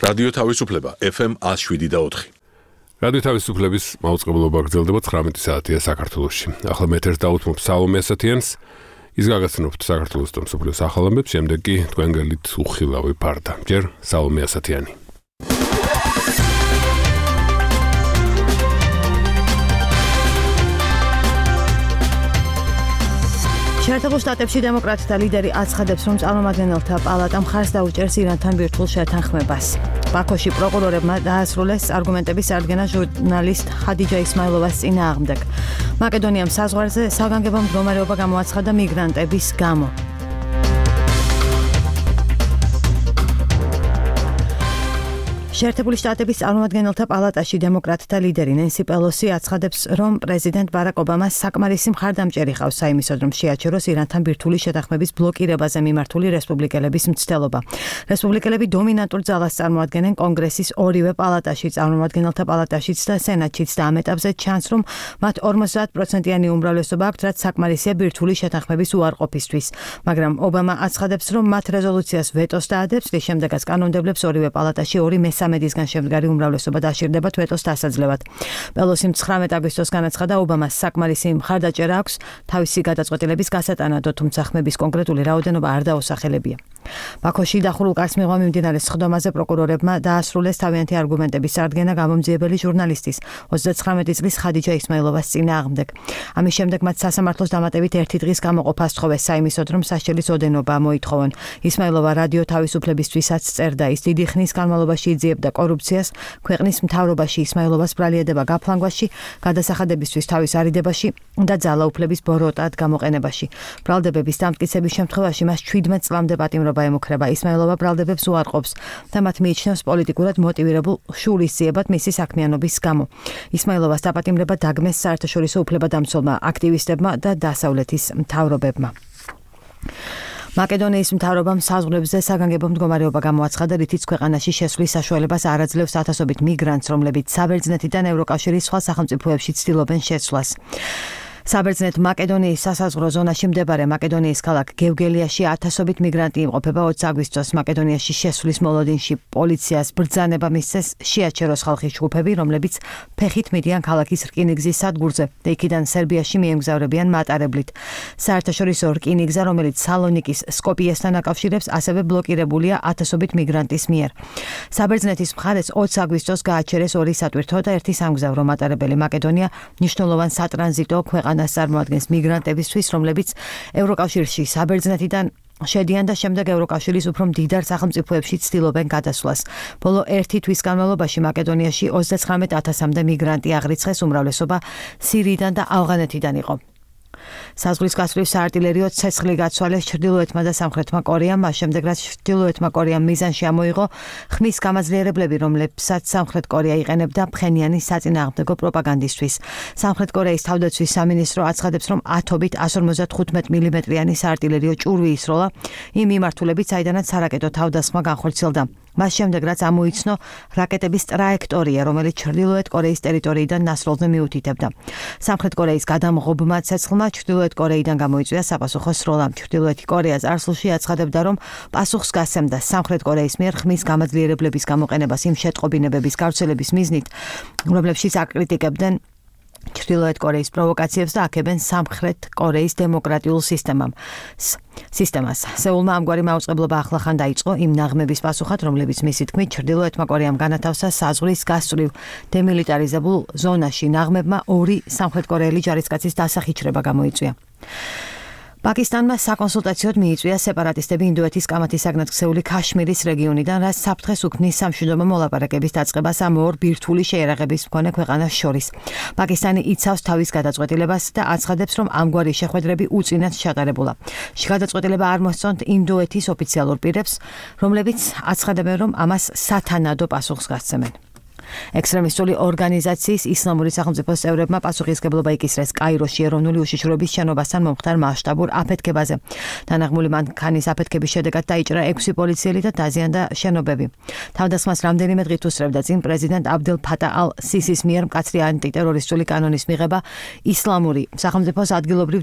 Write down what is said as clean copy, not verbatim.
რადიო თავისუფლება FM 107.4. რადიო თავისუფლების მაუწყებლობა გრძელდება 19 საათია საქართველოში. ახლა მე ერთ დავუთმობ სალომე ასათიანს. ის გაგაცნობთ საქართველოს და მსოფლიოს ახალ ამბებს, შემდეგ კი თქვენ გელით უხილავი ფარდა. ჯერ სალომე ასათიანი. შეერთებულ შტატებში დემოკრატთა ლიდერი აცხადებს, რომ წარმომადგენელთა პალატა მხარს დაუჭერს ირანთან ბირთვულ შეთანხმებას. ბაქოში პროკურორებმა დაასრულეს არგუმენტების წარდგენა ჟურნალისტ ხადიჯა ისმაილოვას წინააღმდეგ. მაკედონიამ საზღვარზე საგანგებო მდგომარეობა გამოაცხადა მიგრანტების გამო. შეერთებული შტატების წარმომადგენელთა პალატაში დემოკრატთა ლიდერი ნენსი პელოსი აცხადებს, რომ პრეზიდენტ ბარაკ ობამას საკმარისი მხარდამჭერი ყავს საიმისოდ, რომ შეაჩეროს ირანთან ბირთვული შეთანხმების ბლოკირებაზე მიმართული რესპუბლიკელების მცდელობა. რესპუბლიკელები დომინანტურ ძალას წარმოადგენენ კონგრესის ორივე პალატაში, წარმომადგენელთა პალატაშიც და სენატშიც და ამ ეტაპზე ჩანს, რომ მათ 50%-იანი უმრავლესობა აქვთ, რაც საკმარისია ბირთვული შეთანხმების უარყოფისთვის. მაგრამ ობამა აცხადებს, რომ მათ რეზოლუციას ვეტოს დაადებს, რის შემდეგაც კანონმდებლებს ორივე პალატაში 2/3-დან შემდგარი უმრავლესობა დაშირდებათ ვეტოს დასაძლევად. პელოსიმ 19 აგვისტოს განაცხადა, ობამას საკმარისი მხარდაჭერა აქვს თავისი გადაწყვეტილების გასატანადო, თუმცა ხმების კონკრეტული რაოდენობა არ დაუსახელებია. ბაქოში დახურულ კარს მიღმა მიმდინარე სხდომაზე პროკურორებმა დაასრულეს თავიანთი არგუმენტების წარდგენა გამომძიებელი ჟურნალისტის 39 წლის ხადიჯა ისმაილოვას წინააღმდეგ. ამის შემდეგ მათ სასამართლოს დამატებით 1 დღის გამოყოფა სთხოვეს საიმისოდ, რომ სასჯელის ოდენობა მოითხოვონ. ისმაილოვა რადიო თავისუფლებისთვისაც წერდა, ის დიდი ხნის განმავლობაში იძიებდა კორუფციას, ქვეყნის მთავრობაში ისმაილოვას ბრალიადება გაფლანგვაში, გადასახადებისთვის თავის არიდებაში და ძალაუფლების ბოროტად გამოყენებაში. ბრალდებების დამტკიცების შემთხვევაში მას 17 წლამდე პატიმრობა ემუქრება. ისმაილოვა ბრალდებებს უარყოფს და მათ მიიჩნევს პოლიტიკურად მოტივირებულ შურისძიებად მისი საქმიანობის გამო. ისმაილოვას დაპატიმრება დაგმეს საერთაშორისო უფლებადამცველმა აქტივისტებმა და დასავლეთის მთავრობებმა. მაკედონიის მთავრობამ საზღვრებზე საგანგებო მდგომარეობა გამოაცხადა, რითიც ქვეყანაში შესვლის საშუალებას არ აძლევს ათასობით მიგრანტს, რომლებიც საბერძნეთიდან ევროკავშირის სხვა სახელმწიფოებში ცდილობენ შეცვლას. საბერძნეთ მაკედონიის სასაზღვრო ზონაში მდებარე მაკედონიის ქალაქ გევგელიაში ათასობით მიგრანტი იმყოფება 20 აგვისტოს. მაკედონიაში შესვლის მოლოდინში პოლიციას ბრძანება მისცეს შეაჩეროს ხალხის ჯგუფები, რომლებიც ფეხით მიდიან ქალაქის რკინიგზის სადგურზე და იქიდან სერბიაში მიემგზავრებიან მატარებლით. საერთაშორისო რკინიგზა, რომელიც სალონიკის სკოპიესთან აკავშირებს, ასევე ბლოკირებულია ათასობით მიგრანტის მიერ. საბერძნეთის მხარეს 20 აგვისტოს გააჩერეს 2 სატვირთო და 1 სამგზავრო მატარებელი. მაკედონია მნიშვნელოვან სატრანზიტო ქვეყანას წარმოადგენს მიგრანტებისთვის, რომლებიც ევროკავშირში საბერძნეთიდან შედიან და შემდეგ ევროკავშირის უფრო მდიდარ სახელმწიფოებში ცდილობენ გადასვლას. ბოლო 1 თვის განმავლობაში მაკედონიაში 39,000-მდე მიგრანტი აღრიცხეს, უმრავლესობა სირიიდან და ავღანეთიდან იყო. საზღვრის გასწვრივ საარტილერიო ცეცხლი გაცვალეს ჩრდილოეთმა და სამხრეთმა კორეამ, მას შემდეგ რაც ჩრდილოეთმა კორეამ მიზანში ამოიღო ხმის გამაძლიერებლები, რომლებსაც სამხრეთ კორეა იყენებდა ფხენიანის საწინააღმდეგო პროპაგანდისთვის. სამხრეთ კორეის თავდაცვის სამინისტრო აცხადებს, რომ ათობით 155 მმ-იანი საარტილერიო ჭურვი ისროლა იმ მიმართულებით, საიდანაც სარაკეტო თავდასხმა განხორციელდა. მას შემდეგ რაც ამოიცნო რაკეტების ტრაექტორია, რომელიც ჩრდილოეთ კორეის ტერიტორიიდან ნასროლზე მიუთითებდა. სამხრეთ კორეის გადამღობმა ცეცხლმა ჩრდილოეთ კორეიდან გამოიწვია საპასუხო სროლა. ჩრდილოეთი კორეა წარსულში აცხადებდა, რომ პასუხს გასცემდა სამხრეთ კორეის მიერ ხმის გამაძლიერებლების გამოყენებას იმ შეტყობინებების გავრცელების მიზნით, რომლებშიც აკრიტიკებდნენ ჩრდილოეთ კორეის პროვოკაციებს და აქებენ სამხრეთ კორეის დემოკრატიულ სისტემას. სეულმა ამგვარი მაუწყებლობა ახლახან დაიწყო იმ ნაღმების პასუხად, რომლებიც მისი თქმით ჩრდილოეთმა კორეამ განათავსა საზღვრის გასწვრივ დემილიტარიზებულ ზონაში. ნაღმებმა 2 სამხრეთკორეელი ჯარისკაცის დასახიჩრება გამოიწვია. პაკისტანმა საკონსულტაციოდ მიიწვია სეპარატისტები ინდოეთის კამათისაგნად ქცეული ქაშმირის რეგიონიდან, რაც საფრთხეს უქმნის სამშვიდობო მოლაპარაკების დაწყებას ამ ორ ბირთვული შეერაღების მქონე ქვეყანას შორის. პაკისტანი იცავს თავის გადაწყვეტილებას და აცხადებს, რომ ამგვარი შეხვედრები უწინათ ჩატარებულა. გადაწყვეტილება არ მოსწონთ ინდოეთის ოფიციალურ პირებს, რომლებიც აცხადებენ, რომ ამას სათანადო პასუხს გასცემენ. ექსტრემისტული ორგანიზაციის ისლამური სახელმწიფოს წევრებმა პასუხისმგებლობა იკისრეს კაიროში ეროვნული უშიშროების შენობასთან მომხდარ მასშტაბურ აფეთქებაზე. თანაღმული მანქანის აფეთქების შედეგად დაიჭრა 6 პოლიციელი და დაზიანდა შენობები. თავდასხმას რამდენიმე დღით უსწრებდა წინ პრეზიდენტ აბდელ ფატა ალ სისის მიერ მკაცრი ანტიტერორისტული კანონის მიღება ისლამური სახელმწიფოს ადგილობრივ